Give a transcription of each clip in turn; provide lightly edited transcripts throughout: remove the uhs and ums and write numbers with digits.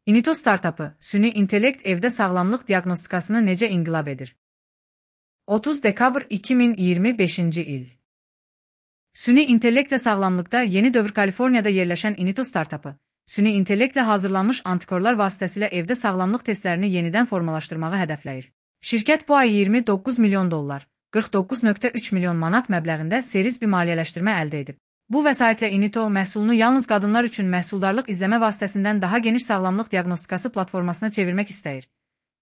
Inito startapı, süni intellekt evdə sağlamlıq diaqnostikasını necə inqilab edir? 30 dekabr 2025-ci il. Süni intellektlə sağlamlıqda yeni dövr Kaliforniyada yerləşən Inito startapı, süni intellektlə hazırlanmış antikorlar vasitəsilə evdə sağlamlıq testlərini yenidən formalaşdırmağı hədəfləyir. Şirkət bu ay 29 milyon dollar, 49,3 milyon manat məbləğində series bir maliyyələşdirmə əldə edib. Bu vəsaitlə Inito məhsulunu yalnız qadınlar üçün məhsuldarlıq izləmə vasitəsindən daha geniş sağlamlıq diaqnostikası platformasına çevirmək istəyir.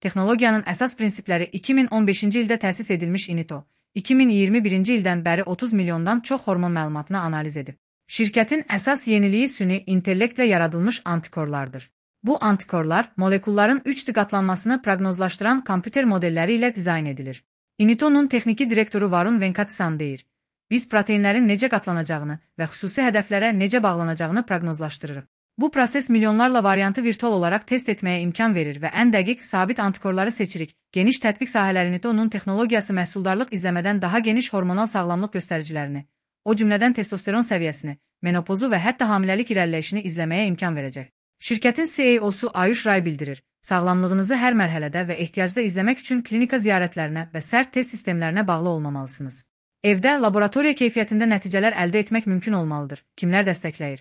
Texnologiyanın əsas prinsipləri 2015-ci ildə təsis edilmiş Inito, 2021-ci ildən bəri 30 milyondan çox hormon məlumatını analiz edib. Şirkətin əsas yeniliyi süni intellektlə yaradılmış antikorlardır. Bu antikorlar molekulların 3D qatlanmasını proqnozlaşdıran kompüter modelləri ilə dizayn edilir. Inito'nun texniki direktoru Varun Venkateswaran deyir: "Biz proteinlərin necə qatlanacağını və xüsusi hədəflərə necə bağlanacağını proqnozlaşdırırıq. Bu proses milyonlarla variantı virtual olaraq test etməyə imkan verir və ən dəqiq, sabit antikorları seçirik. Geniş tətbiq sahələri Inito'nun texnologiyası məhsuldarlıq izləmədən daha geniş hormonal sağlamlıq göstəricilərini, o cümlədən testosteron səviyyəsini, menopozu və hətta hamiləlik irəliləyişini izləməyə imkan verəcək." Şirkətin CEO-su Ayush Ray bildirir: "Sağlamlığınızı hər mərhələdə və ehtiyacda izləmək üçün klinika ziyarətlərinə və sərt test sistemlərinə bağlı olmamalısınız. Evdə laboratoriya keyfiyyətində nəticələr əldə etmək mümkün olmalıdır." Kimlər dəstəkləyir?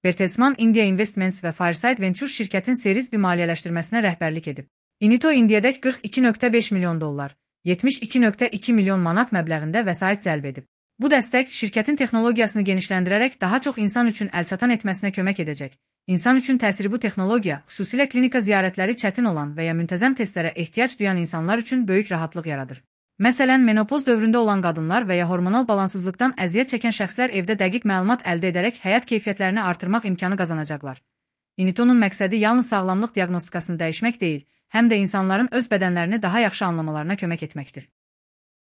Bertelsmann India Investments və Fireside Ventures şirkətin series bir maliyyələşdirməsinə rəhbərlik edib. Inito indiyədək 42,5 milyon dollar, 72,2 milyon manat məbləğində vəsait cəlb edib. Bu dəstək şirkətin texnologiyasını genişləndirərək daha çox insan üçün əlçatan etməsinə kömək edəcək. İnsan üçün təsiri bu texnologiya, xüsusilə klinika ziyarətləri çətin olan və ya müntəzəm testlərə ehtiyac duyan insanlar üçün böyük rahatlıq yaradır. Məsələn, menopoz dövründə olan qadınlar və ya hormonal balansızlıqdan əziyyət çəkən şəxslər evdə dəqiq məlumat əldə edərək həyat keyfiyyətlərini artırmaq imkanı qazanacaqlar. Inito'nun məqsədi yalnız sağlamlıq diaqnostikasını dəyişmək deyil, həm də insanların öz bədənlərini daha yaxşı anlamalarına kömək etməkdir.